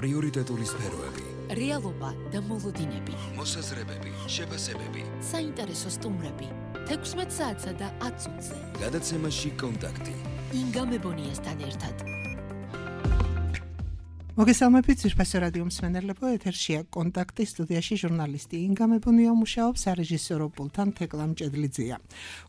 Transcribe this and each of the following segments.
პრიორიტეტული სფეროები, რეალობა და მოლოდინები, მოსაზრებები, შეფასებები, საინტერესო სტუმრები, 16 საათსა და 10 წუთზე. გადაცემაში კონტაქტი. ინგა მებონიასთან ერთად. მოგესალმებით ძვირფასო რადიო მსმენელებო, ეთერშია კონტაქტი, სტუდიაში ჟურნალისტი ინგა მებონია მუშაობს, სარეჟისორო პულტთან თეკლა მჭედლიძეა.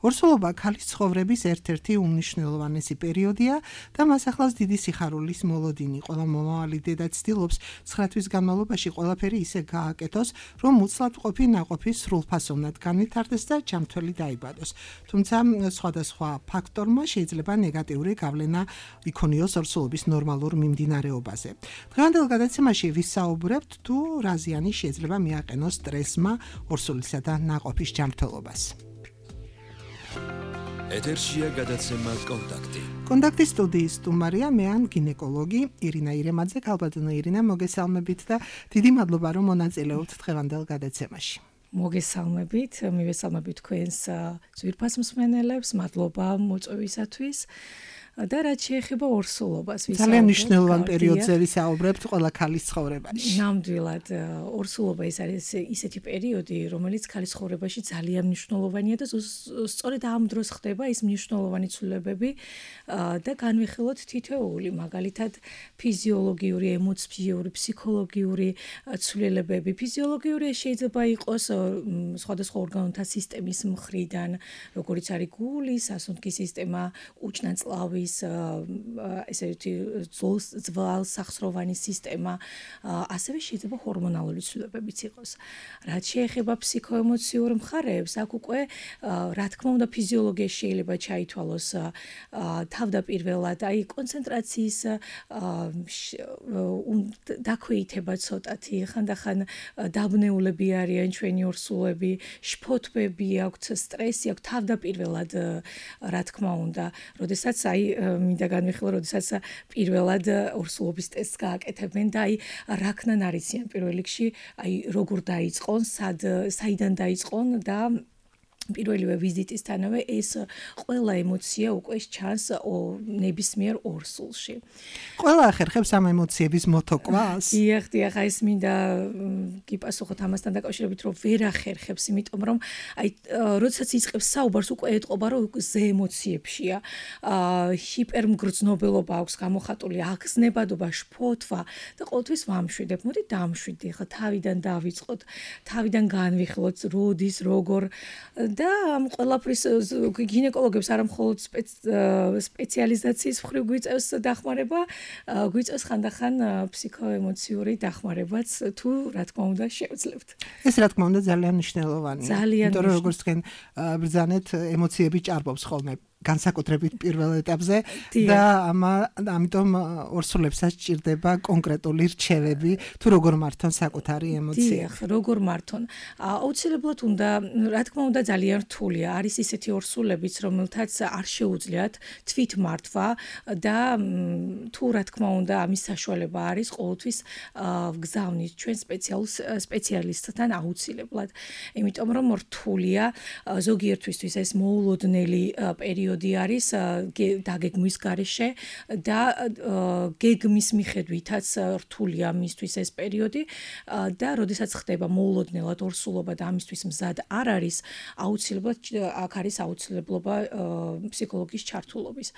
ორსულობა ქალის ცხოვრების ერთ-ერთი უმნიშვნელოვანესი პერიოდია და მას ახლავს დიდი სიხარულის მოლოდინი. ყველა მომავალი დედა ცდილობს 9 თვის განმავლობაში ყველაფერი ისე გააკეთოს, რომ უცლად ყოფი ნაყოფი სრულფასოვნად განვითარდეს და ჯანმრთელი დაიბადოს. თუმცა სხვადასხვა ფაქტორმა შეიძლება ნეგატიური გავლენა იქონიოს ორსულობის ნორმალურ მიმდინარეობაზე. დღევანდელ გადაცემაში ვისაუბრებთ თუ რა ზიანი შეიძლება მიაყენოს სტრესმა ორსულისა და ნაყოფის ჯანმრთელობას. ეთერშია გადაცემა კონტაქტი. კონტაქტის სტუდიის სტუმარია მე ან გინეკოლოგი ირინა ირემაძე. ქალბატონო ირინა, მოგესალმებით და დიდი მადლობა რომ მონაწილეობთ დღევანდელ გადაცემაში. მოგესალმებით, მივესალმებით თქვენს ძვირფას მსმენელებს, მადლობა მოწვევისათვის. და რაც შეეხება ორსულობას, ძალიან მნიშვნელოვანი პერიოდზე ვისაუბრებთ ყველა ქალის ცხოვრებაში. ნამდვილად, ორსულობა ეს არის ისეთი პერიოდი, რომელიც ქალის ცხოვრებაში ძალიან მნიშვნელოვანია და სწორედ ამ დროს ხდება ის მნიშვნელოვანი ცვლილებები და განვიხილოთ თითოეული, მაგალითად ფიზიოლოგიური, ემოციური, ფსიქოლოგიური ცვლილებები. ფიზიოლოგიური შეიძლება იყოს სხვადასხვა ორგანოთა სისტემის მხრიდან, როგორიც არის გული, სასუნთქის სისტემა, უჭნაწლავი ესეთი ძვალსახსროვანი სისტემა, ასევე შეიძლება ჰორმონალური ცვლილებებიც იყოს. რაც შეეხება ფსიქოემოციურ მხარეებს, აქ უკვე რა თქმა უნდა ფიზიოლოგიაში შეიძლება ჩაითვალოს თავდაპირველად, აი კონცენტრაციის დაქვეითება ცოტათი, ხანდახან დაბნეულები არიან ჩვენი ორსულები, შფოთვები აქვთ, სტრესი აქვთ თავდაპირველად, რა თქმა უნდა, როდესაც აი მინდა განვიხილო, როდესაც პირველად ორსულობის ტესტს გააკეთებენ და აი რაქნან არიციან პირველ რიგში, აი როგორ დაიწყონ, საიდან დაიწყონ და პირველივე ვიზიტისთანავე ეს ყველა ემოცია უკვე ჩანს ნებისმიერ ორსულში. ყველა ახერხებს ამ ემოციების მოთოკვას? დიახ, აი ეს მინდა გიპასუხოთ ამასთან დაკავშირებით, რომ ვერ ახერხებს, იმიტომ რომ აი როდესაც იწყებს საუბარს, უკვე ეტყობა, რომ ზე ემოციებშია. ჰიპერმგრძნობელობა აქვს გამოხატული, აგზნებადობა, შფოთვა და ყოველთვის ვამშვიდებ. მოდი დამშვიდე, ხა თავიდან დავიწყოთ, თავიდან განვიხილოთ, როდის, როგორ და ამ ყველაფრის გინეკოლოგებს არა მხოლოდ სპეციალიზაციის მხრივ გვიწევს დახმარება, გვიწევს ხანდახან ფსიქოემოციური დახმარებაც, თუ რა თქმა უნდა შევძლებთ. ეს რა თქმა უნდა ძალიან მნიშვნელოვანია. იმიტომ რომ როგორც თქვენ ბრძანეთ, ემოციები ჭარბობს ხოლმე განსაკუთრებით პირველ ეტაპზე და ამიტომ ორსულებსაც ჭირდება კონკრეტული რჩევები თუ როგორ მართონ საკუთარი ემოცია. დიახ, როგორ მართონ. აუცილებლად უნდა, რა თქმა უნდა ძალიან რთულია. არის ისეთი ორსულებიც, რომელთაც არ შეუძლიათ თვითმართვა და თუ რა თქმა უნდა ამის საშუალება არის, ყოველთვის ვგზავნით ჩვენ სპეციალისტთან აუცილებლად. იმიტომ რომ რთულია ზოგიერთვისთვის ეს მოულოდნელი პერიოდი არის დაგეგმვის გარეშე და გეგმის მიხედვითაც რთულია მისთვის ეს პერიოდი და როდესაც ხდება მოულოდნელად ორსულობა და ამისთვის მზად არ არის, აუცილებლად აქ არის აუცილებლობა ფსიქოლოგის ჩართულობის.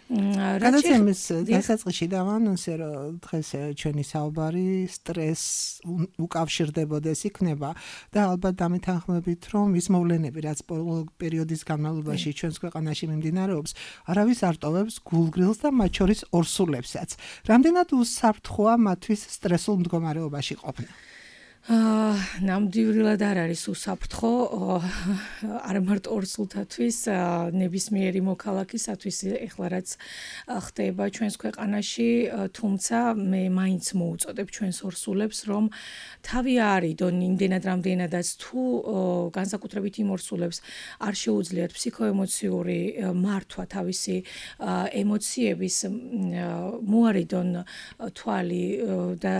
გადაცემის დასაწყისში დავანონსე, რომ დღეს ჩვენი საუბარი სტრესს უკავშირდებოდეს იქნება და ალბათ დამეთანხმებით, რომ ის მოვლენები, რაც პერიოდის განმავლობაში ჩვენს ქვეყანაში მიმდინარეობს, არავის არ ტოვებს გულგრილს და მათ შორის ორსულებსაც. რამდენად უსაფრთხოა მათთვის სტრესულ მდგომარეობაში ყოფნა? ნამდვილად არ არის უსაფრთხო, არა მარტო ორსულთათვის, ნებისმიერი მოქალაქისათვის, ეხლა რაც ხდება ჩვენს ქვეყანაში, თუმცა მე მაინც მოუწოდებ ჩვენს ორსულებს, რომ თავი არიდონ იმდენად რამდენადაც თუ განსაკუთრებით იმ ორსულებს არ შეუძლიათ ფსიქოემოციური მართვა თავისი ემოციების, მოარიდონ თვალი და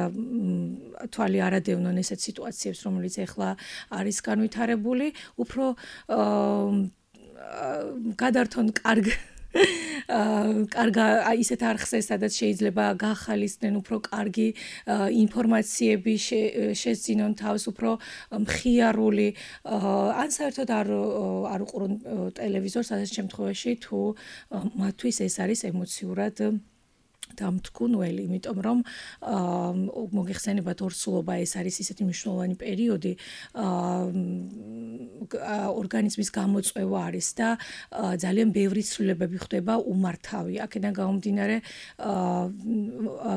თვალი არადევნონ ესეთ სიტუაციებს, რომელიც ეხლა არის განვითარებული, უფრო გადართონ კარგ კარგა ისეთ არხზე, სადაც შეიძლება გახალისდნენ უფრო კარგი ინფორმაციები შეძინონ თავს, უფრო მხიარული, ან საერთოდ არ უყურონ ტელევიზორს, ასეთ შემთხვევაში თუ მათთვის ეს არის ემოციურად დამთქმული, იმიტომ რომ მოგეხსენებათ ორსულობა ეს არის ისეთი მნიშვნელოვანი პერიოდი, ორგანიზმის გამოწვევა არის და ძალიან ბევრი ცვლილებები ხდება უმართავი. აქედან გამომდინარე,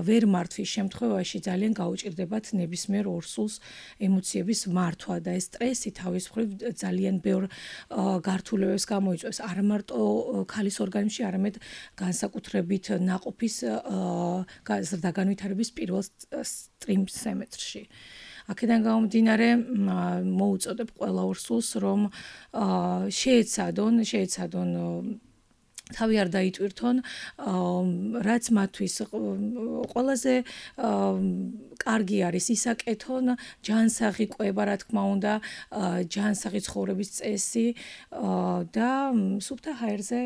ვერ მართვის შემთხვევაში ძალიან გაუჭირდებათ ნებისმიერ ორსულს ემოციების მართვა და ეს სტრესი თავის მხრივ ძალიან ბევრ გართულებებს გამოიწვევს, არა მარტო ქალის ორგანიზმში, არამედ განსაკუთრებით ნაყოფის განვითარების პირველ ტრიმესტრში. აქედან გამომდინარე, მოუწოდებ ყველა ორსულს, რომ შეეცადონ თავი არ დაიტვირთონ, რაც მათთვის ყველაზე კარგი არის ისაკეთონ, ჯანსაღი ყვება, რა თქმა უნდა, ჯანსაღი ცხოვრების წესი და სუფთა ჰაერზე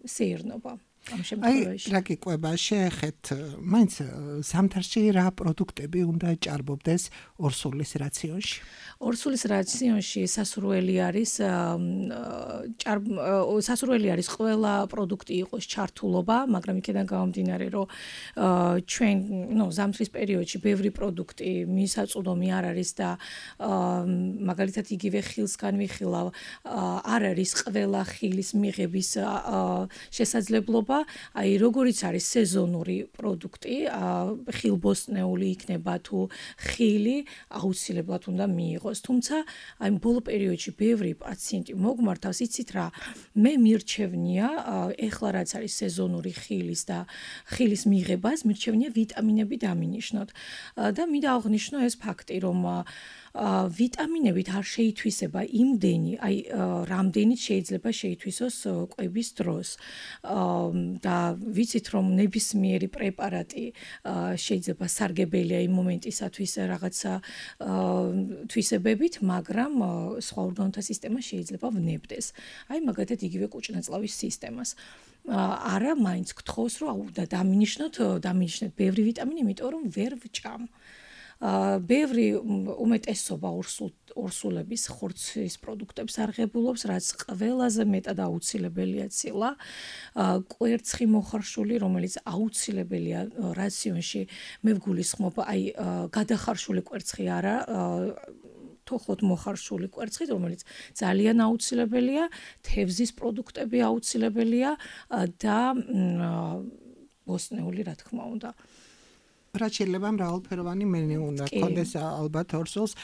სეირნობა. რა გიყვება, შეეხეთ, მაინც ზამთარში რა პროდუქტები უნდა ჭარბობდეს ორსულის რაციონში? ორსულის რაციონში სასურველი არის ყველა პროდუქტი იყოს ჩართულობა, მაგრამ იქიდან გამომდინარე, რომ ჩვენ, ზამთრის პერიოდში ბევრი პროდუქტი მისაწვდომი არ არის და მაგალითად იგივე ხილს განვიხილავ, არ არის ყველა ხილის მიღების შესაძლებლობა. Აი, როგორიც არის სეზონური პროდუქტი, ხილბოსტნეული იქნება თუ ხილი, აუცილებლად უნდა მიიღოს. თუმცა, აი, ბოლო პერიოდში ბევრი პაციენტი მოგმართავს, იცით რა, მე მირჩევნია, ეხლა რაც არის სეზონური ხილის და ხილის მიღებას, მირჩევნია ვიტამინები დამინიშნოთ. და მინდა აღვნიშნო ეს ფაქტი, რომ ვიტამინებით არ შეითვისება იმდენი, აი რამდენიც შეიძლება შეითვისოს ყვების დროს. და ვიცით რომ ნებისმიერი პრეპარატი შეიძლება სარგებელია იმ მომენტისათვის რაღაცა თვისებებით, მაგრამ სხვა ორგანოთა სისტემა შეიძლება ვნებდეს. აი მაგათად იგივე კუჭნაწლავის სისტემას. არა, მაინც გთხოვს რომ უნდა დამინიშნოთ ბევრი ვიტამინი, იმიტომ რომ ვერ ვჭამ. ბევრი უმეტესობა ორსულების ხორცის პროდუქტებს არღებულობს, რაც ყველაზე მეტად აუცილებელია ცილა. კვერცხი მოხარშული, რომელიც აუცილებელია რაციონში, მე ვგულისხმობ, აი გადახარშული კვერცხი არა, თოხოთ მოხარშული კვერცხით, რომელიც ძალიან აუცილებელია, თევზის პროდუქტები აუცილებელია და ბოსტნეული, რა თქმა უნდა. რაც შეიძლება მრავალფეროვანი მენიუ უნდა გქონდეს ალბათ ორსულს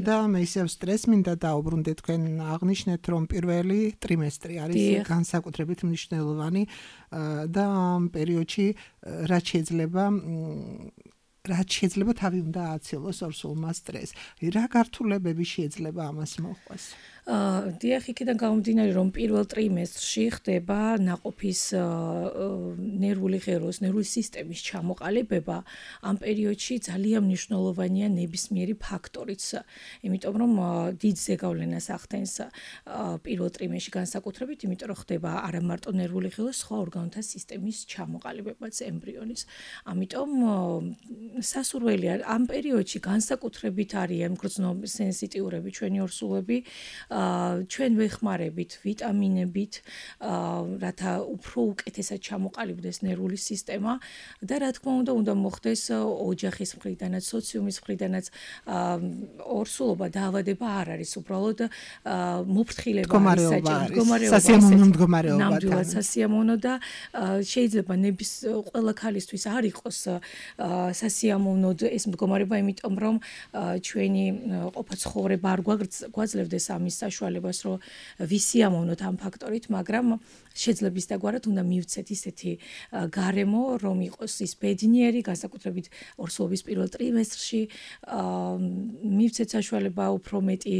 და მე ისევ სტრესს მინდა დაუბრუნდე, თქვენ აღნიშნეთ, რომ პირველი ტრიმესტრი არის განსაკუთრებით მნიშვნელოვანი და ამ პერიოდში რაც შეიძლება თავი უნდა ააცილოს ორსულმა სტრესს. რა გართულებები შეიძლება ამას მოყვას? დიახ, იქიდან გამომდინარე, რომ პირველ ტრიმესტრში ხდება ნაყოფის ნერვული ღეროს, ნერვული სისტემის ჩამოყალიბება. ამ პერიოდში ძალიან მნიშვნელოვანია ნებისმიერი ფაქტორიც, იმიტომ რომ დიდ ზეგავლენას ახდენს პირველ ტრიმესტრში განსაკუთრებით, იმიტომ რომ ხდება არა მარტო ნერვული ღეროს, სხვა ორგანოთა სისტემის ჩამოყალიბებაც ემბრიონის. ამიტომ სასურველია ამ პერიოდში განსაკუთრებით არიან გრძნობ სენსიტიურები ჩვენი ორსულები. ჩვენ ვეხმარებით ვიტამინებით, რათა უფრო უკეთესად ჩამოყალიბდეს ნერვული სისტემა და რა თქმა უნდა მოხდეს ოჯახის მხრიდანაც, სოციუმის მხრიდანაც ორსულობა დაავადება არ არის, უბრალოდ მოფრთხილება არის საჭირო, ნამდვილად სასიამოვნო და შეიძლება ყველა ქალისთვის არ იყოს სასიამოვნოდ ეს მდგომარეობა, იმიტომ რომ ჩვენი ყოფა ცხოვრება არ გვაძლევდეს ამის საშუალებას, რომ ვისიამოვნოთ ამ ფაქტორით, მაგრამ შეძლების დაგვარად უნდა მივცეთ ისეთი გარემო, რომ იყოს ის ბედნიერი, განსაკუთრებით ორსულობის პირველ ტრიმესტრში, მივცეთ საშუალება უფრო მეტი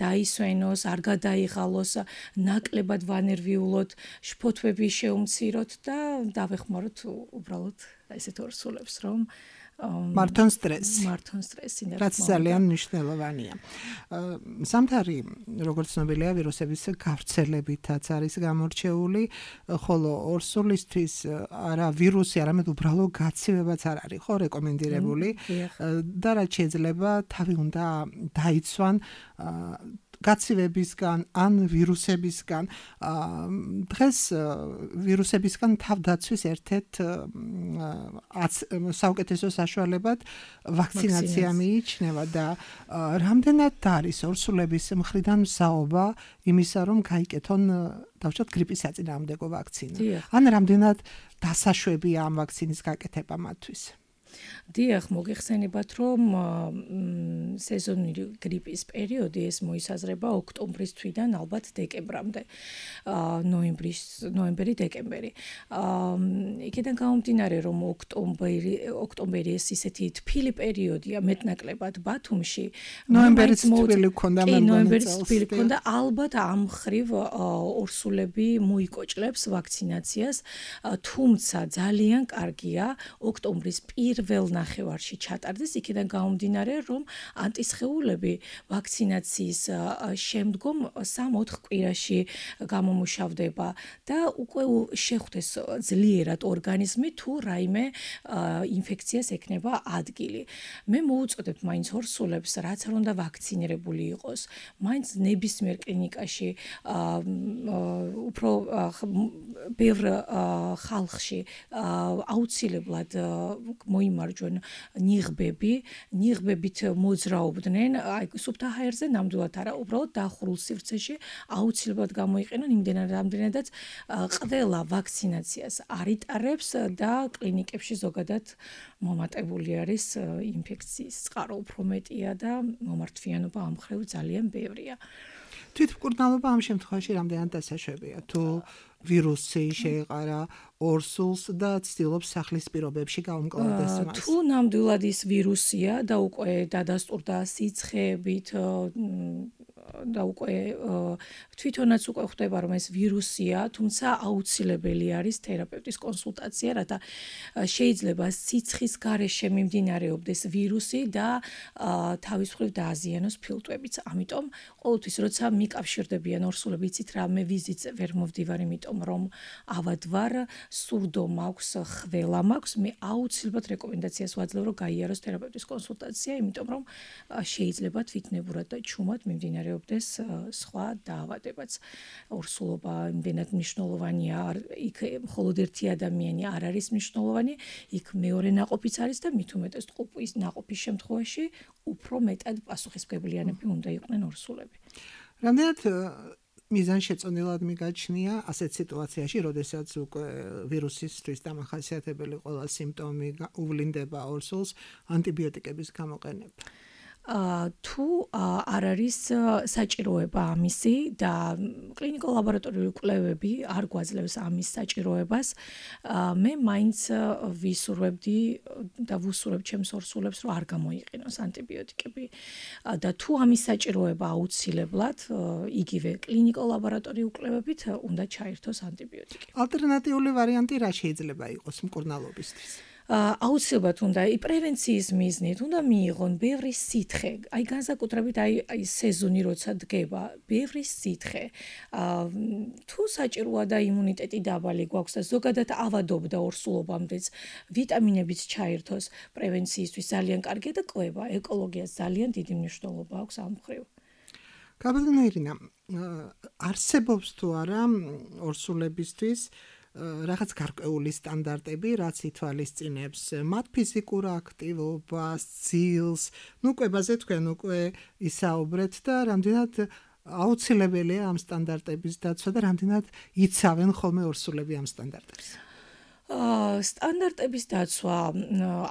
დაისვენოს, არ გადაიღალოს, ნაკლებად ვანერვიულოთ, შფოთვები შეუმციროთ და დავეხმაროთ უბრალოდ ესეთ ორსულებს, რომ მართონ სტრესი. მართონ სტრესი და რაც ძალიან მნიშვნელოვანია. სამთარი, როგორც ცნობილია, ვირუსების გავრცელებითაც არის გამორჩეული, ხოლო ორსულისთვის არა ვირუსი, არამედ უბრალოდ გაცივებაც არ არის ხო რეკომენდირებული და რაც შეიძლება თავი უნდა დაიცვან გაცივებისგან ან ვირუსებისგან. დღეს ვირუსებისგან თავდაცვის ერთ-ერთ საუკეთესო საშუალებად ვაქცინაცია მიიჩნევა და რამდენად არის ორსულების მხრიდან მსაობა იმისა, რომ გაიკეთონ დავუშვათ გრიპის საწინააღმდეგო ვაქცინა. ან რამდენად დასაშვებია ამ ვაქცინის გაკეთება მათთვის. დიახ, მოგეხსენებათ, რომ სეზონური გრიპის პერიოდი ეს მოისაზრება ოქტომბრის თვიდან ალბათ დეკემბრამდე. ნოემბერი, დეკემბერი. იქიდან გამომდინარე, რომ ოქტომბერი ეს ისეთი თბილი პერიოდია მეტნაკლებად ბათუმში. ნოემბერიც თბილი ქონდა, ნოემბერიც თბილი ქონდა, ალბათ ამ ხრივ ორსულები მოიკოჭლებს ვაქცინაციას, თუმცა ძალიან კარგია ოქტომბრის პირველ ნახევარში ჩატარდეს, იქიდან გამომდინარე, რომ ანტისხეულები ვაქცინაციის შემდგომ 3-4 კვირაში გამომუშავდება და უკვე შეხვდეს ძლიერად ორგანიზმი თუ რაიმე ინფექციას ექნება ადგილი. მე მოუწოდებ მაინც ორსულებს, რაც არ უნდა ვაქცინირებული იყოს, მაინც ნებისმიერ კლინიკაში უფრო ბევრ ხალხში აუცილებლად მოიმარჯვენ ნიღბებით მოძრაობდნენ, აი სუფთა ჰაერზე ნამდვილად არა, უბრალოდ დახურულ სივრცეში აუცილებლად გამოიყენონ იმდენად რამდენადაც ყველა ვაქცინაციას არიტარებს და კლინიკებში ზოგადად მომატებული არის ინფექციის წყარო უფრო მეტია და მომართვიანობა ამ ხრივ ძალიან ბევრია. თვითმკურნალობა ამ შემთხვევაში რამდენად დასაშვებია? თუ ვირუსი შეეყარა ორსულს და ცდილობს სახლის პირობებში გაუმკლავდეს მას. თუ ნამდვილად ის ვირუსია და უკვე დადასტურდა სიცხეებით და უკვე თვითონაც უკვე ხვდება, რომ ეს ვირუსია, თუმცა აუცილებელი არის თერაპევტის კონსულტაცია, რათა შეიძლება სიცხის გარეშე მიმდინარეობდეს ვირუსი და თავის მხრივ დააზიანოს ფილტვებიც. ამიტომ ყოველთვის როცა მიკავშირდებიან ორსულები, იცით რა, მე ვიზიტზე ვერ მოვდივარ, იმიტომ რომ ავად ვარ, სურდო მაქვს, ხველა მაქვს, მე აუცილებლად რეკომენდაციას ვაძლევ, რომ გაიაროს თერაპევტის კონსულტაცია, იმიტომ რომ შეიძლება თვითნებურად და ჩუმად მიმდინარეობდეს სხვა დაავადებაც. ორსულობა იმდენად მნიშვნელოვანია, იქ მხოლოდ ერთი ადამიანი არ არის მნიშვნელოვანი, იქ მეორე ნაყოფიც არის და მით უმეტეს ტყუპის ნაყოფის შემთხვევაში უფრო მეტად პასუხისმგებლიანები უნდა იყვნენ ორსულები. რამდენად მიზანშეწონილად მიგაჩნია ასეთ სიტუაციაში, როდესაც უკვე ვირუსისთვის დამახასიათებელი ყველა სიმპტომი უვლინდება ორსულს, ანტიბიოტიკების გამოყენება? თუ არ არის საჭიროება ამისი და კლინიკო-ლაბორატორიული კვლევები არ გვაძლევს ამის საჭიროებას, მე მაინც ვისურვებდი და ვუსურვებ ჩემს ორსულებს, რომ არ გამოიყენოს ანტიბიოტიკები და თუ ამის საჭიროება აუცილებლად, იგივე კლინიკო-ლაბორატორიული კვლევებით უნდა ჩაერთოს ანტიბიოტიკი. ალტერნატიული ვარიანტი რა შეიძლება იყოს მკურნალობისთვის? აუცილებლად უნდა პრევენციის მიზნით უნდა მიიღონ ბევრი სითხე, აი განსაკუთრებით აი სეზონი როცა დგება, ბევრი სითხე. თუ საჭიროა და იმუნიტეტი დაბალი გვაქვს და ზოგადად ავადობდა ორსულობამდეც, ვიტამინებიც ჩაერთოს პრევენციისთვის ძალიან კარგია და კვლევა, ეკოლოგიას ძალიან დიდი მნიშვნელობა აქვს ამ მხრივ. გაბატონო ირინა, არსებობს თუ არა ორსულებისთვის რაღაც გარკვეული სტანდარტები, რაც ითვალისწინებს მათ ფიზიკურ აქტივობას, ძილს, ნუ კვებაზე თქვენ უკვე ისაუბრეთ და რამდენად აუცილებელია ამ სტანდარტების დაცვა და რამდენად იცავენ ხოლმე ორსულები ამ სტანდარტებს? სტანდარტების დაცვა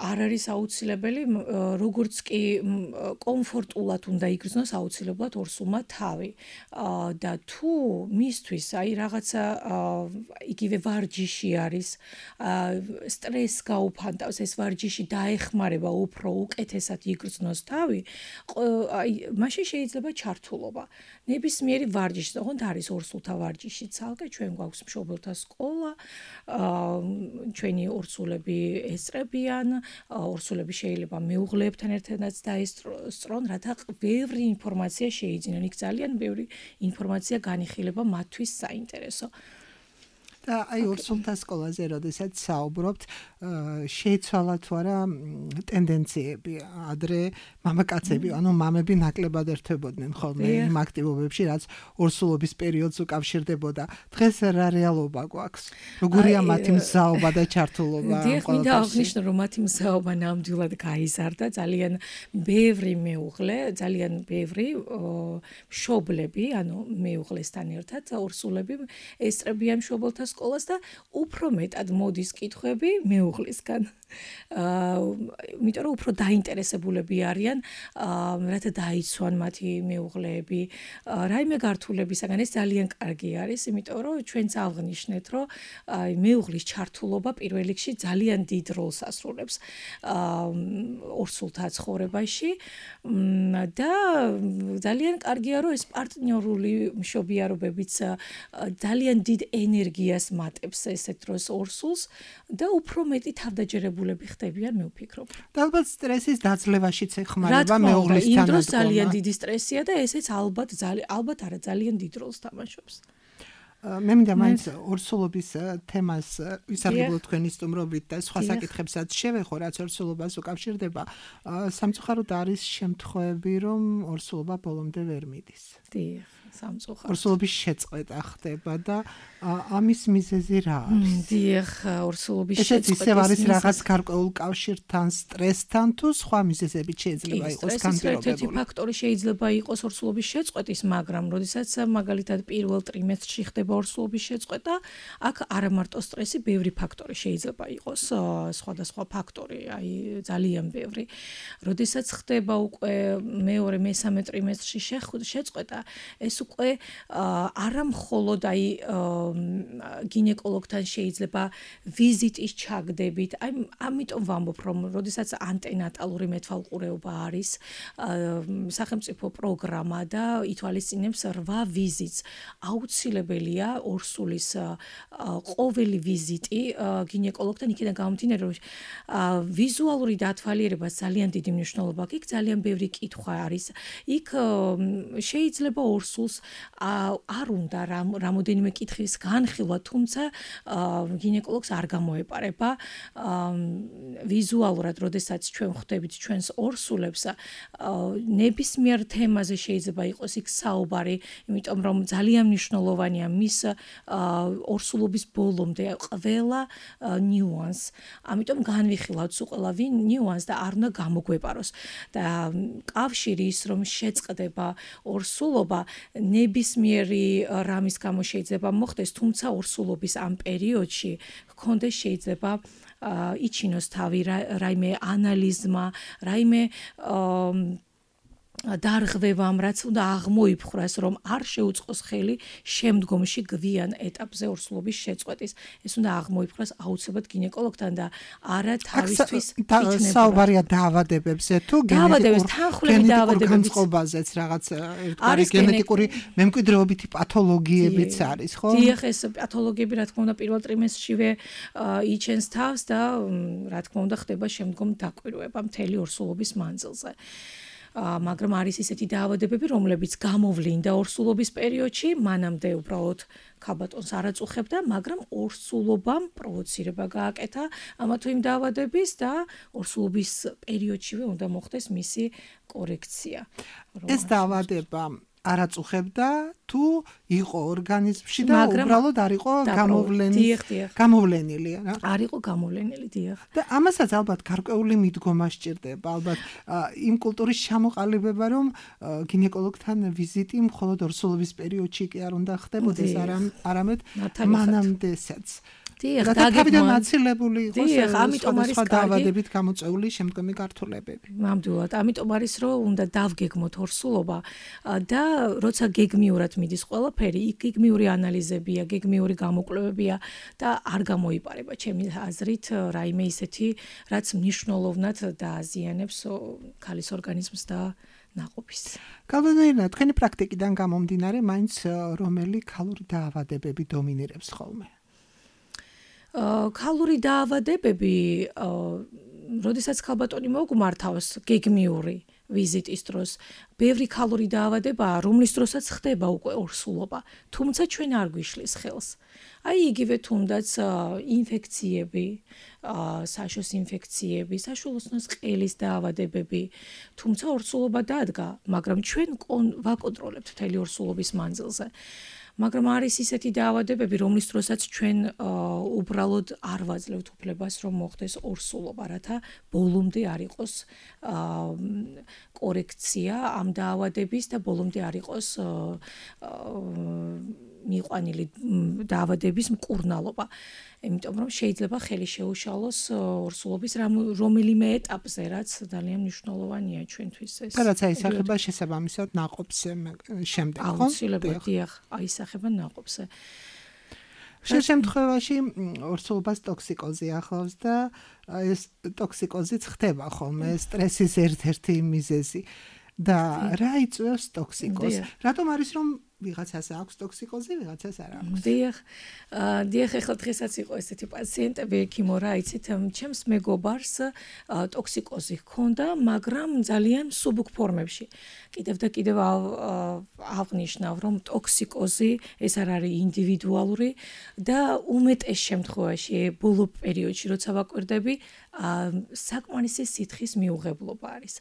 არ არის აუცილებელი, როგორც კი კომფორტულად უნდა იგრძნოს აუცილებლად ორსულმა თავი. და თუ მისთვის აი რაღაცა იგივე ვარჯიში არის, სტრესს გაუფანტავს, ეს ვარჯიში დაეხმარება უფრო უკეთესად იგრძნოს თავი, აი მაშინ შეიძლება ჩართულობა. ნებისმიერი ვარჯიში, თუმცა არის ორსულთა ვარჯიში ცალკე, ჩვენ გვაქვს მშობელთა სკოლა, ჩვენი ორსულები ესწრებიან, ორსულები შეიძლება მეუღლეებთან ერთადაც დაესწრონ, რათა ბევრი ინფორმაცია შეიძინონ. იქ ძალიან ბევრი ინფორმაცია განიხილება მათთვის საინტერესო. და აი ორსულთა სკოლაზე როდესაც საუბრობთ, შეიცვალა თუ არა ტენდენციები, ადრე მამაკაცები, ანუ მამები ნაკლებად ერთვებოდნენ ხოლმე იმ აქტივობებში, რაც ორსულობის პერიოდს უკავშირდებოდა. დღეს რა რეალობა გვაქვს? როგორია მათი მზაობა და ჩართულობა? დიახ, მინდა აღნიშნო, რომ მათი მზაობა ნამდვილად გაიზარდა, ძალიან ბევრი მეუღლე, ძალიან ბევრი მშობლები, ანუ მეუღლესთან ერთად ორსულები ესწრებიან მშობელთა სკოლას და უფრო მეტად მოდის კითხვები მეუღლისგან. იმიტომ რომ უფრო დაინტერესებულები არიან, რათა დაიცვან მათი მეუღლეები, რაიმე გართულებისაგან. ეს ძალიან კარგი არის, იმიტომ რომ ჩვენც აღნიშნეთ, რომ მეუღლის ჩართულობა პირველ რიგში ძალიან დიდ როლს ასრულებს ორსულთა ცხოვრებაში და ძალიან კარგია, რომ ეს პარტნიორული მშობიარობებიც ძალიან დიდ ენერგიას მატებს ესეთ დროს ორსულს და უფრო მეტი თავდაჯერებულები ხდებიან, მე ვფიქრობ. და ალბათ სტრესის დაძლევაშიც ეხმარება მეუღლის თანადგომა. იმ დროს ძალიან დიდი სტრესია და ესეც ალბათ არა ძალიან დიდ როლს თამაშობს. მე მინდა მაინც ორსულობის თემას ვისარგებლო თქვენი სტუმრობით და სხვა საკითხებსაც შევეხო, რაც ორსულობას უკავშირდება. სამწუხაროდ არის შემთხვევები, რომ ორსულობა ბოლომდე ვერ მიდის. დიახ, სამწუხაროდ. ორსულობის შეწყვეტა ხდება და ამის მიზეზი რა არის? დიახ, ორსულობის შეწყვეტის მიზეზი ესეც არის რაღაც გარკვეულ კავშირთან, სტრესთან თუ სხვა მიზეზებით შეიძლება იყოს განპირობებული. ერთ-ერთი ფაქტორი შეიძლება იყოს ორსულობის შეწყვეტის, მაგრამ როდესაც მაგალითად პირველ ტრიმესტრში ხდება ორსულობის შეწყვეტა, აქ არა მარტო სტრესი, ბევრი ფაქტორი შეიძლება იყოს, სხვადასხვა ფაქტორი, აი ძალიან ბევრი. როდესაც ხდება უკვე მეორე, მესამე ტრიმესტრში შეწყვეტა, ეს უკვე არა მხოლოდ აი გინეკოლოგთან შეიძლება ვიზიტის ჩაგდებით. აი ამიტომ ვამბობ, რომ როდესაც ანტენატალური მეთვალყურეობა არის სახელმწიფო პროგრამა და ითვალისწინებს 8 ვიზიტს, აუცილებელია ორსულის ყოველი ვიზიტი გინეკოლოგთან, იქიდან გამომდინარე, რომ ვიზუალური დათვალიერება ძალიან დიდი მნიშვნელობა აქვს. იქ ძალიან ბევრი კითხვა არის. იქ შეიძლება ორსულს არ უნდა რამოდენიმე კითხვის განხილვა, თუმცა გინეკოლოგს არ გამოეპარება ვიზუალურად, როდესაც ჩვენ ხვდებით ჩვენს ორსულებს, ნებისმიერ თემაზე შეიძლება იყოს იქ საუბარი, იმიტომ რომ ძალიან მნიშვნელოვანია მის ორსულობის ბოლომდე ყველა ნიუანს. ამიტომ განვიხილავთ ყველა ნიუანს და არ უნდა გამოგვეპაროს. და კავშირი ის რომ შეწყდება ორსულობა, ნებისმიერი რამის გამო შეიძლება მოხდეს, თუმცა ორსულობის ამ პერიოდში გქონდეს შეიძლება იჩინოს თავი რაიმე ანალიზმა, რაიმე დარღვევამ, რაც უნდა აღმოიფხვრას, რომ არ შეუწყოს ხელი შემდგომში გვიან ეტაპზე ორსულობის შეწყვეტის. ეს უნდა აღმოიფხვრას აუცილებლად გინეკოლოგთან და არა თავისთვის იქნება. საუბარია დაავადებებზე თუ გენეტიკური განწყობაზეც რაღაც ერთგვარი გენეტიკური მემკვიდრეობითი პათოლოგიებიც არის, ხო? დიახ, ეს პათოლოგიები რა თქმა უნდა პირველ ტრიმესტრშივე იჩენს თავს და რა თქმა უნდა ხდება შემდგომ დაკვირვება მთელი ორსულობის მანძილზე. მაგრამ არის ისეთი დაავადებები, რომლებიც გამოვლინდა ორსულობის პერიოდში, მანამდე უბრალოდ ქაბატონს არ აწუხებდა, მაგრამ ორსულობამ პროვოცირება გააკეთა ამა თუ იმ დაავადების და ორსულობის პერიოდშივე უნდა მოხდეს მისი კორექცია. ეს დაავადება არ აწუხებდა თუ იყო ორგანიზმში და უბრალოდ არ იყო გამოვლენილი, რა? არ იყო გამოვლენილი, დიახ. და ამასაც ალბათ გარკვეული მიდგომა სჭირდება, ალბათ იმ კულტურის ჩამოყალიბება, რომ გინეკოლოგთან ვიზიტი მხოლოდ ორსულობის პერიოდში კი არ უნდა ხდებოდეს, არამედ მანამდესაც. დიახ, თავიდან აცილებული იყოს სხვა დაავადებით გამოწვეული შემდგომი გართულებები. ნამდვილად, ამიტომ არის, რომ უნდა დავგეგმოთ ორსულობა და როცა გეგმიურად მიდის ყველაფერი, გეგმიური ანალიზებია, გეგმიური გამოკვლევებია და არ გამოიპარება ჩემი აზრით რაიმე ისეთი, რაც მნიშვნელოვნად დააზიანებს ქალის ორგანიზმს და ნაყოფის. გალვანოირნა, თქვენი პრაქტიკიდან გამომდინარე, მაინც რომელი ქალური დაავადებები დომინირებს ხოლმე? ქალური დაავადებები, როდესაც ქალბატონი მოგმართავს გეგმიური ვიზიტის დროს, ბევრი ქალური დაავადებაა, რომლის დროსაც ხდება უკვე ორსულობა, თუმცა ჩვენ არ გვიშლის ხელს. აი იგივე თუნდაც ინფექციები, საშოს ინფექციები, საშუალოსნოს ყელის დაავადებები, თუმცა ორსულობა დადგა, მაგრამ ჩვენ ვაკონტროლებთ მთელი ორსულობის მანძილზე. მაგრამ არის ისეთი დაავადებები, რომლის დროსაც ჩვენ უბრალოდ არ ვაძლევთ უფლებას, რომ მოხდეს ორსულობა, რათა ბოლომდე არ იყოს კორექცია ამ დაავადების და ბოლომდე არ იყოს მიყვანილი დაავადების მკურნალობა. იმიტომ რომ შეიძლება ხელი შეუშალოს ორსულობის რომელიმე ეტაპზე, რაც ძალიან მნიშვნელოვანია ჩვენთვის ეს. და რაც აისახება შესაბამისად ნაყოფს შემდეგ, ხო? აუცილებლად, დიახ, აისახება ნაყოფზე. შემთხვევაში ორსულობას ტოქსიკოზი ახლავს და ეს ტოქსიკოზიც ხდება ხოლმე სტრესის ერთ-ერთი მიზეზი. და რა იწვევს ტოქსიკოზს? რატომ არის რომ ვიღაცას აქვს ტოქსიკოზი, ვიღაცას არ აქვს? დიახ, ახლა დღესაც იყო ესეთი პაციენტები, ეკიმო რა იცით, ჩემს მეგობარს ტოქსიკოზი ჰქონდა, მაგრამ ძალიან მსუბუქ ფორმებში. კიდევ და კიდევ აღნიშნავ, რომ ტოქსიკოზი ეს არ არის ინდივიდუალური და უმეტეს შემთხვევაში ბოლო პერიოდში, როცა ვაკვირდები, საკმარისი სითხის მიუღებლობა არის.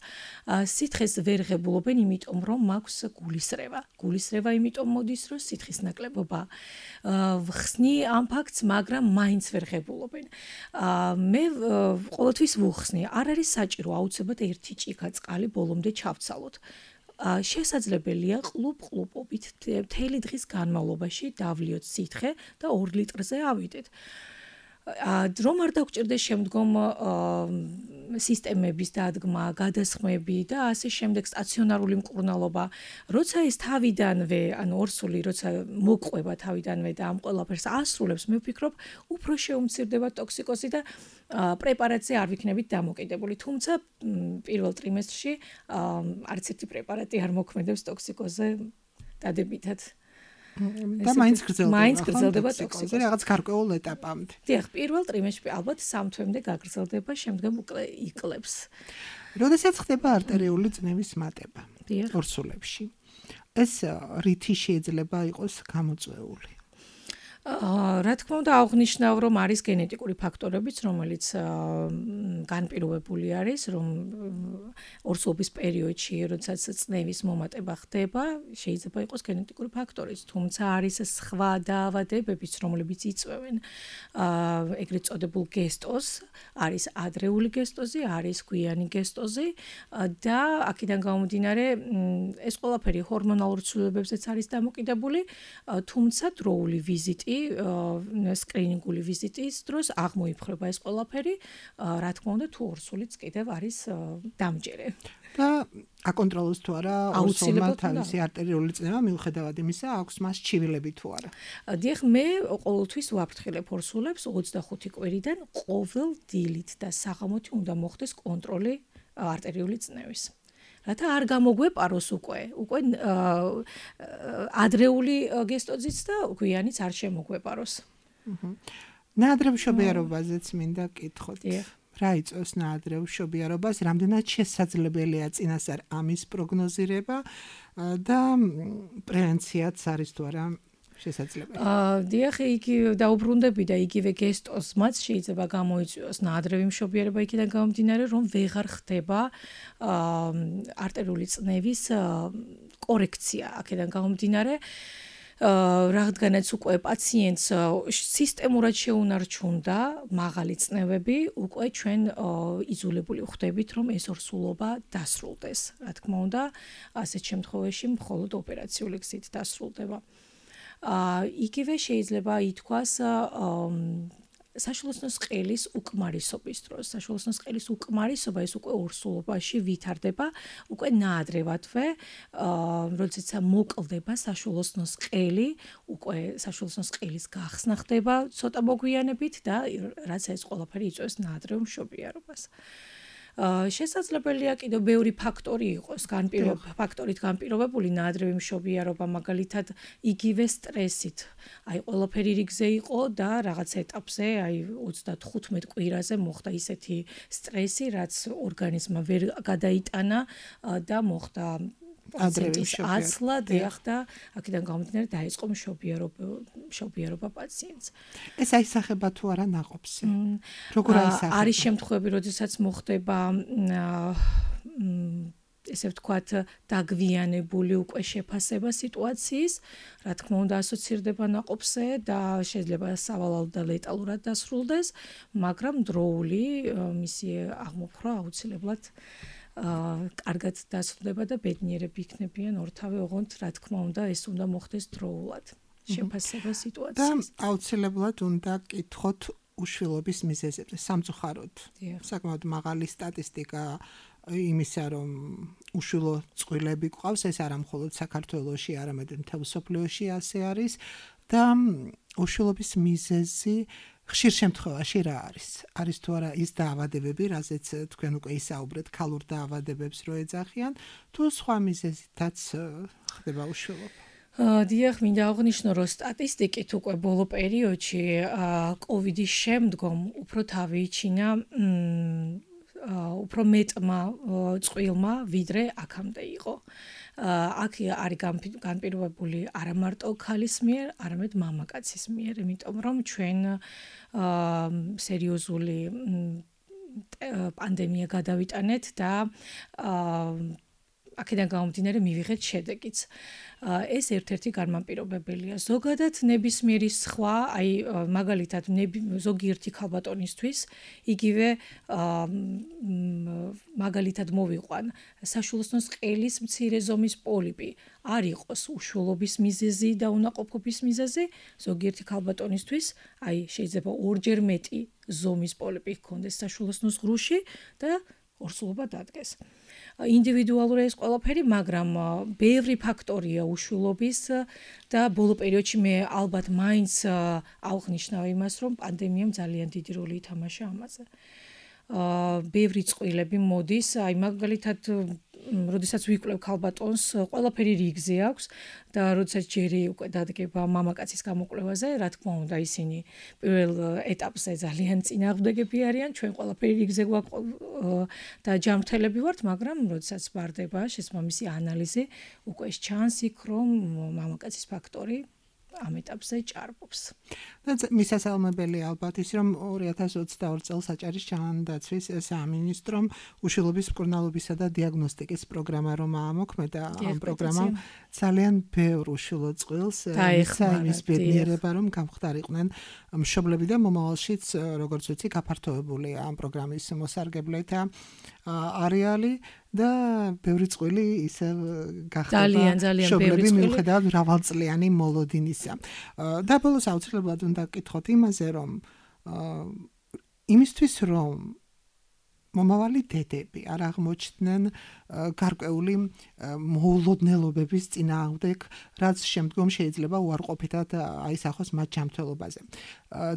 სითხეს ვერ ღებულობენ, იმიტომ რომ მაქვს გულისრევა. გულისრევა იმიტომ მოდის, რომ სითხის ნაკლებობა ვხსნი ამ ფაქტს, მაგრამ მაინც ვერ ღებულობენ. მე ყოველთვის ვუხსნი, არ არის საჭირო აუცილებლად ერთი ჭიქა წყალი ბოლომდე ჩავცალოთ. შესაძლებელია ყლუპ-ყლუპობით მთელი დღის განმავლობაში დავლიოთ სითხე და 2 ლიტრზე ავიდეთ. რომ არ დაგჭირდეს შემდგომ სისტემების დადგმა, გადასხმები და ასე შემდეგ სტაციონარული მკურნალობა, როცა ეს თავიდანვე, ანუ ორსული, როცა მოყვება თავიდანვე და ამ ყველაფერს ასრულებს, მე ვფიქრობ, უფრო შეუმცირდება ტოქსიკოზი და პრეპარატზე არ ვიქნებით დამოკიდებული. თუმცა პირველ ტრიმესტრში არც ერთი პრეპარატი არ მოქმედებს ტოქსიკოზზე დადებითად. და მაინც გრძელდება ტოქსიკოზი რაღაც გარკვეულ ეტაპამდე. დიახ, პირველ ტრიმესტრში ალბათ 3 თვემდე გაგრძელდება, შემდგომ უკვე იკლებს. როდესაც ხდება არტერიული წნევის მატება ორსულებში, ეს რითი შეიძლება იყოს გამოწვეული? რა თქმა უნდა, აღნიშნავ, რომ არის გენეტიკური ფაქტორებიც, რომელიც განპირობებული არის, რომ ორსულობის პერიოდში, როდესაც წნევის მომატება ხდება, შეიძლება იყოს გენეტიკური ფაქტორიც, თუმცა არის სხვა დაავადებებიც, რომლებიც იწვევენ ეგრეთ წოდებულ გესტოზს, არის ადრეული გესტოზი, არის გვიანი გესტოზი და აქედან გამომდინარე, ეს ყველაფერი ჰორმონალურ ცვლილებებზეც არის დამოკიდებული, თუმცა დროული ვიზიტი სკრინინგული ვიზიტის დროს აღმოიფხვრება ეს ყველაფერი, რა თქმა უნდა, თუ ორსულიც კიდევ არის დამჯერე. და აკონტროლოს თუ არა ორსულმა თავისი არტერიული წნევა, მიუხედავად იმისა, აქვს მას ჩივილები თუ არა. დიახ, მე ყოველთვის ვაფრთხილებ ორსულებს 25 კვირიდან ყოველ დილით და საღამოთი უნდა მოხდეს კონტროლი არტერიული წნევის. რათა არ გამოგვეპაროს უკვე ადრეული გესტოზიც და გვიანიც არ შემოგვეპაროს. ნაადრევ მშობიარობაზეც მინდა კითხოთ. რა იწვევს ნაადრევ მშობიარობას, რამდენად შესაძლებელია წინასწარ ამის პროგნოზირება და პრევენციაც არის თუ არა შესაძლებელი? დიახ, იგი დაუბრუნდები და იგივე გესტოზმაც შეიძლება გამოიწვიოს ნაადრევი მშობიარობა იქიდან გამომდინარე, რომ ვეღარ ხდება არტერიული წნევის კორექცია აქედან გამომდინარე. რადგანაც უკვე პაციენტს სისტემურად შეუნარჩუნდა მაღალი წნევები, უკვე ჩვენ იზოლებული ვხდებით, რომ ეს ორსულობა დასრულდეს. რა თქმა უნდა, ასეთ შემთხვევაში მხოლოდ ოპერაციული გზით დასრულდება. იგივე შეიძლება ითქვას საშუალოსნოს ყელის უკმარისობის დროს. საშუალოსნოს ყელის უკმარისობა ეს უკვე ორსულობაში ვითარდება, უკვე ნაადრევადვე, როდესაც მოკლდება საშუალოსნოს ყელი, უკვე საშუალოსნოს ყელის გახსნა ხდება ცოტა მოგვიანებით და რაც ეს ყველაფერი იწვევს ნაადრევ მშობიარობას. შესაძლებელია კიდევ ბევრი ფაქტორი იყოს, ფაქტორით განპირობებული ნაადრევი მშობიარობა, მაგალითად, იგივე სტრესით. აი, ყველაფერი რიგზე იყო და რაღაც ეტაპზე, აი 35 კვირაზე მოხდა ისეთი სტრესი, რაც ორგანიზმმა ვერ გადაიტანა და მოხდა პაციენტის აცლა, დიახ და აქედან გამომდინარე დაიწყო მშობიარობა პაციენტს. ეს აისახება თუ არა ნაყოფზე? როგორ აისახება? არის შემთხვევები, როდესაც მოხდება ესე ვთქვათ, დაგვიანებული უკვე შეფასება სიტუაციის, რა თქმა უნდა, ასოცირდება ნაყოფზე და შეიძლება სავალალოდ და ლეტალურად დასრულდეს, მაგრამ დროული მისი აღმოფხვრა აუცილებლად კარგად დასრულდება და ბედნიერები იქნებიან ორთავე, ოღონდ, რა თქმა უნდა, ეს უნდა მოხდეს დროულად. შეფასება სიტუაციის. და აუცილებლად უნდა კითხოთ უშვილობის მიზეზებზე, სამწუხაროდ. საკმაოდ მაღალი სტატისტიკა იმისა, რომ უშვილო წყვილები გვყავს, ეს არა მხოლოდ საქართველოში, არამედ მთელ მსოფლიოში ასე არის და უშვილობის მიზეზი ხშირ შემთხვევაში რა არის? არის თუ არა ის დაავადებები, რაზეც თქვენ უკვე ისაუბრეთ, ქალურ დაავადებებს რო ეძახიან, თუ სხვა მიზეზითაც ხდება უშვილობა? დიახ, მინდა აღნიშნო, რომ სტატისტიკით უკვე ბოლო პერიოდში კოვიდის შემდგომ უფრო თავი-იჩინა უფრო მეტმა წყვილმა ვიდრე აქამდე იყო. აქ არის განპირობებული არა მარტო ქალის მიერ, არამედ მამაკაცის მიერ, იმიტომ რომ ჩვენ სერიოზული პანდემია გადავიტანეთ და აქედან გამომდინარე მივიღეთ შედეგიც. ეს ერთ-ერთი განმაპირობებელია. ზოგადად ნებისმიერი სხვა, აი მაგალითად ზოგიერთი ქალბატონისთვის იგივე მაგალითად მოვიყვან საშვილოსნოს ყელის მცირე ზომის პოლიპი. არ იყოს უშვილობის მიზეზი და უნაყოფობის მიზეზი, ზოგიერთი ქალბატონისთვის, აი შეიძლება ორჯერ მეტი ზომის პოლიპი ჰქონდეს საშვილოსნოს ღრუში და ორსულობა დადგეს. ინდივიდუალური ეს ყველაფერი, მაგრამ ბევრი ფაქტორია უშვილობის და ბოლო პერიოდში მე ალბათ მაინც ავღნიშნავ იმას, რომ პანდემიამ ძალიან დიდი როლი ითამაშა ამაზე. ბევრი წყვილები მოდის, აი მაგალითად, როდესაც ვიკვლევ ქალბატონს, ყველაფერი რიგზე აქვს და როდესაც ჯერი უკვე დადგება მამაკაცის გამოკვლევაზე, რა თქმა უნდა, ისინი პირველ ეტაპზე ძალიან წინააღმდეგები არიან, ჩვენ ყველაფერი რიგზე გვაქვს და ჯანმრთელები ვართ, მაგრამ როდესაც ვარდება შესაბამისი ანალიზი, უკვე ჩანს იქ, რომ მამაკაცის ფაქტორი ამ ეტაპზე ჭარბობს. და მისასალმებელი ალბათ ის, რომ 2022 წელს აჭარის ჯანდაცვის სამინისტრომ უშვილობის მკურნალობისა და დიაგნოსტიკის პროგრამა რომ ამოქმედა, ამ პროგრამამ ძალიან ბევრ უშვილო წყვილს მისცა იმის ბედნიერება, რომ გამხდარიყვნენ მშობლები და მომავალშიც, როგორც ვიცი, გაფართოებული ამ პროგრამის მოსარგებლეთ არეალი და ბევრი წყვილი ისე გახდება მშობლები მიუხედავად მრავალწლიანი მოლოდინისა. და ბოლოს აუცილებლად უნდა გკითხოთ იმაზე, რომ იმისთვის რომ მომავალი დედები არ აღმოჩნდნენ გარკვეული მოულოდნელობების წინააღმდეგ, რაც შემდგომ შეიძლება უარყოფითად აისახოს მათ ჯანმრთელობაზე.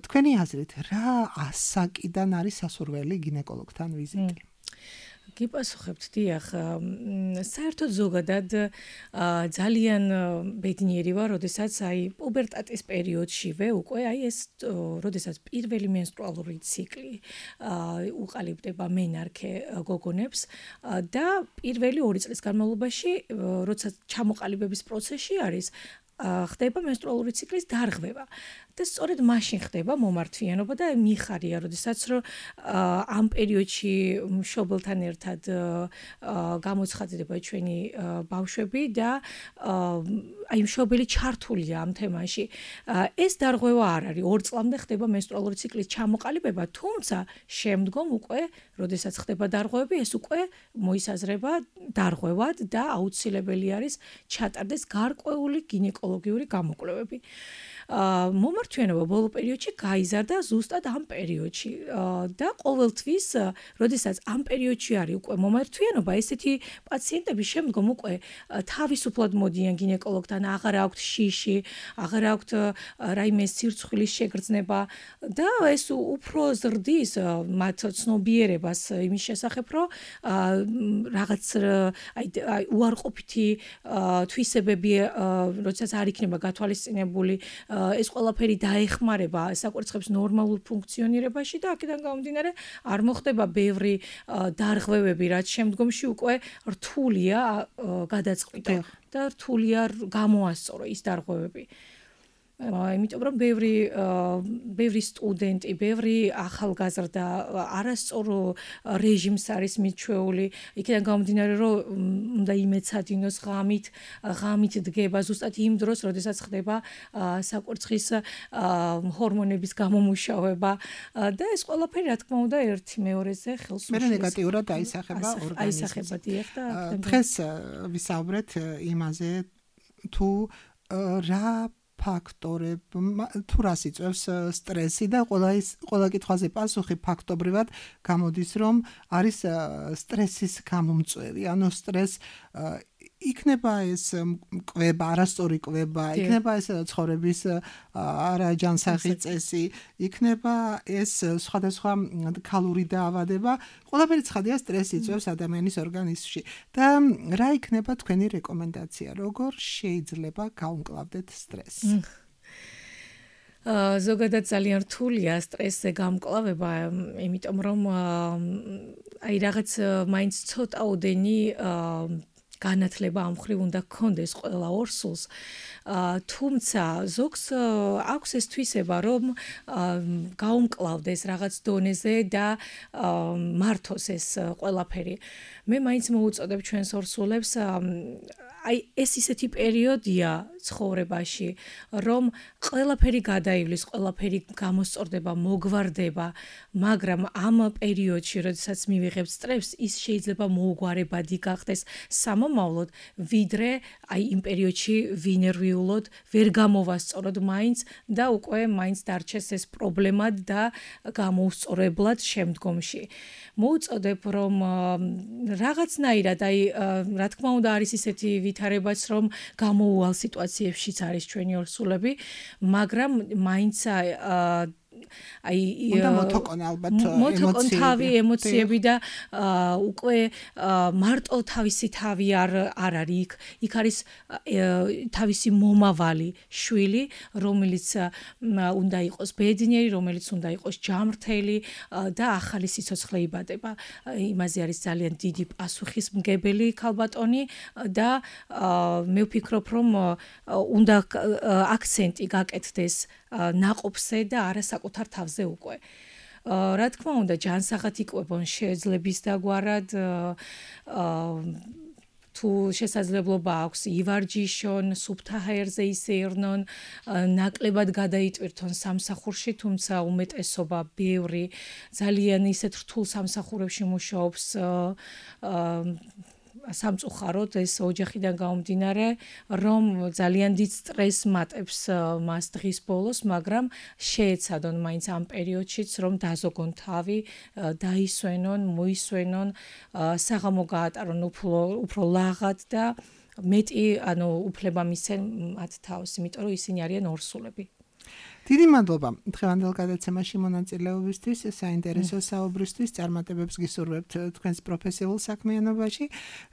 თქვენი აზრით, რა ასაკიდან არის სასურველი გინეკოლოგთან ვიზიტი? გიპასუხებთ, დიახ, საერთოდ ზოგადად ძალიან ბედნიერი ვარ, როდესაც აი პუბერტატის პერიოდშივე უკვე აი ეს როდესაც პირველი მენსტრუალური ციკლი უყალიბდება მენარქე გოგონებს და პირველი 2 წლის განმავლობაში, როცა ჩამოყალიბების პროცესში არის, ხდება მენსტრუალური ციკლის დარღვევა და სწორედ მაშინ ხდება მომართვიანობა და მიხარია, როდესაც რომ ამ პერიოდში მშობელთან ერთად გამოცხადდება ჩვენი ბავშვები და აი მშობელი ჩართულია ამ თემაში. ეს დარღვევა არ არის, 2 წლამდე ხდება მენსტრუალური ციკლის ჩამოყალიბება, თუმცა შემდგომ უკვე, როდესაც ხდება დარღვევები, ეს უკვე მოისაზრება დარღვევად და აუცილებელი არის ჩატარდეს გარკვეული გინეკოლოგიური გამოკვლევები. მომართვიანობა ბოლო პერიოდში გაიზარდა ზუსტად ამ პერიოდში და ყოველთვის, როდესაც ამ პერიოდში არის უკვე მომართვიანობა, ესეთი პაციენტები შემდგომ უკვე თავისუფლად მოდიან გინეკოლოგთან, აღარ აქვთ შიში, აღარ აქვთ რაიმე სირცხვილის შეგრძნება და ეს უფრო ზრდის მათ ცნობიერებას იმის შესახებ, რომ რაღაც უარყოფითი თვისებები, როდესაც არ იქნება გათვალისწინებული, ეს ყველაფერი დაეხმარება საკვერცხების ნორმალურ ფუნქციონირებაში და აქედან გამომდინარე არ მოხდება ბევრი დარღვევები, რაც შემდგომში უკვე რთულია გადაწყვიტა და რთულია გამოასწორო ის დარღვევები. იმიტომ რომ ბევრი სტუდენტი, ბევრი ახალგაზრდა არასწორ რეჟიმს არის მიჩვეული, იქიდან გამომდინარე რომ უნდა იმეცადინოს ღამით დგება ზუსტად იმ დროს, როდესაც ხდება საკვერცხის ჰორმონების გამომუშავება და ეს ყველაფერი რა თქმა უნდა ერთი მეორეზე ხელს უშლის. მე ნეგატიურად აისახება ორგანიზმს. აისახება დიახ და დღეს ვისაუბრეთ იმაზე თუ რა ფაქტორები თუ რას იწვევს სტრესი და ყველა კითხვაზე პასუხი ფაქტობრივად გამოდის, რომ არის სტრესის გამომწვევი. ანუ სტრესს იქნება ეს კვება, არასწორი კვება, იქნება ეს ცხოვრების არაჯანსაღი წესი, იქნება ეს სხვადასხვა ქალური დაავადება. ყველაფერი ცხადია სტრესი იწვევს ადამიანის ორგანიზმში. და რა იქნება თქვენი რეკომენდაცია, როგორ შეიძლება გაუმკლავდეთ სტრესს? ზოგადად ძალიან რთულია სტრესზე გამკლავება, იმიტომ რომ აი რაღაც მაინც ცოტაოდენი განათლება ამ მხრივ უნდა გქონდეს ყველა ორსულს, თუმცა ზოგს აქვს ეს თვისება, რომ გაუმკლავდეს რაღაც დონეზე და მართოს ეს ყველაფერი. მე მაინც მოუწოდებ ჩვენს ორსულებს, აი ეს ისეთი პერიოდია ცხოვრებაში, რომ ყველაფერი გადაივლის, ყველაფერი გამოსწორდება, მოგვარდება, მაგრამ ამ პერიოდში, როდესაც მივიღებთ სტრესს, ის შეიძლება მოუგვარებადი გახდეს სამომავლოდ, ვიდრე აი იმ პერიოდში ვინერვიულოდ ვერ გამოვასწოროთ მაინც და უკვე მაინც დარჩეს ეს პრობლემა და გამოუსწორებლად შემდგომში. მოუწოდებ, რომ რაღაცნაირად აი რა თქმა უნდა არის ისეთი ვითარებაც, რომ გამოუვალ სიტუაციებშიც არის ჩვენი ორსულები, მაგრამ მაინც აი უნდა მოთოყონ ალბათ ემოციები და უკვე მარტო თავისი თავი არ არის იქ არის თავისი მომავალი შვილი, რომელიც უნდა იყოს ბედნიერი, რომელიც უნდა იყოს ჯამრთელი და ახალი სიცოცხლე იბადება. იმაზე არის ძალიან დიდი პასუხისმგებელი ქალბატონი და მე ვფიქრობ, რომ უნდა აქცენტი გაკეთდეს ნაყოფზე და არა საკუთარ თავზე უკვე. რა თქმა უნდა, ჯანსაღად იკვებონ შეძლების დაგვარად, თუ შესაძლებლობა აქვს ივარჯიშონ, სუფთა ჰაერზე ისეირნონ, ნაკლებად გადაიტვირთონ სამსახურში, თუმცა უმეტესობა ბევრი ძალიან ისეთ რთულ სამსახურებში მუშაობს სამწუხაროდ ეს ოჯახიდან გამომდინარე, რომ ძალიან დიდ სტრესს მატებს მას დღის ბოლოს, მაგრამ შეეცადონ მაინც ამ პერიოდშიც, რომ დაზოგონ თავი, დაისვენონ, მოისვენონ, საღამო გაატარონ უფრო ლაღად და მეტი, ანუ უფლება მისცენ მათ თავს, იმიტომ რომ ისინი არიან ორსულები. დიდი მადლობა დღევანდელ გადაცემაში მონაწილეობისთვის, საინტერესო საუბრისთვის, წარმატებებს გისურვებთ თქვენს პროფესიულ საქმიანობაში.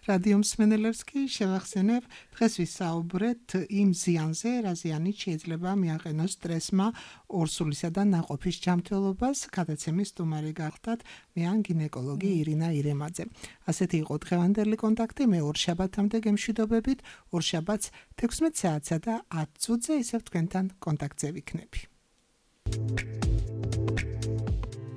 რადიო მსმენელებს კი შევახსენებ, დღეს ვისაუბრეთ იმ ზიანზე, რა ზიანით შეიძლება მიაყენოს სტრესმა ორსულისა და ნაყოფის ჯანმრთელობას. გადაცემის სტუმარი გახდათ მე ან გინეკოლოგი ირინა ირემაძე. ასეთი იყო დღევანდელი კონტაქტი, მე ორშაბათამდე გემშვიდობებით, ორშაბათს 16 საათსა და 10 წუთზე ისევ თქვენთან კონტაქტზე ვიქნები.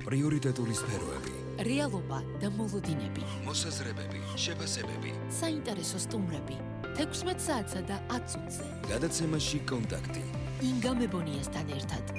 პრიორიტეტული სფეროები, რეალობა და მოლოდინები, მოსაზრებები, შეფასებები, საინტერესო სტუმრები, 16 საათსა და 10 წუთზე. გადაცემაში კონტაქტი. ინგა მებონიასთან ერთად.